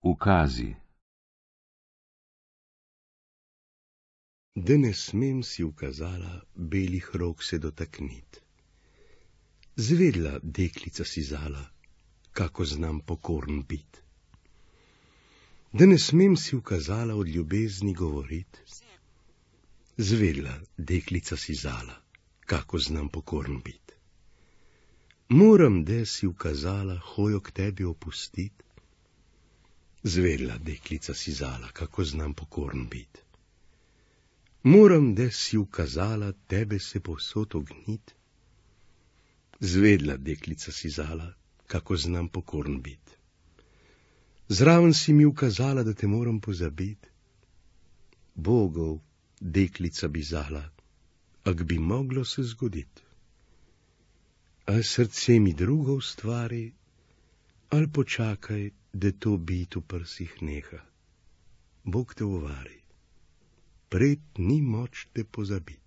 Ukazi. Da ne smem, si ukazala, belih rok se dotaknit. Zvedla, deklica si zala, kako znam pokorn bit. Da ne smem, si ukazala, od ljubezni govorit. Zvedla, deklica si zala, kako znam pokorn bit. Moram, da si ukazala, hojo k tebi opustit. Zvedla, deklica si zala, kako znam pokorn bit. Moram, da si ukazala, tebe se povsod ognit. Zvedla, deklica si zala, kako znam pokorn bit. Zraven si mi ukazala, da te moram pozabit. Bogov, deklica bi zala, ak bi moglo se zgodit. A srce mi drugo ustvari, ali počakaj, da to bit v prsih neha. Bog te uvari, pred ni moč te pozabit.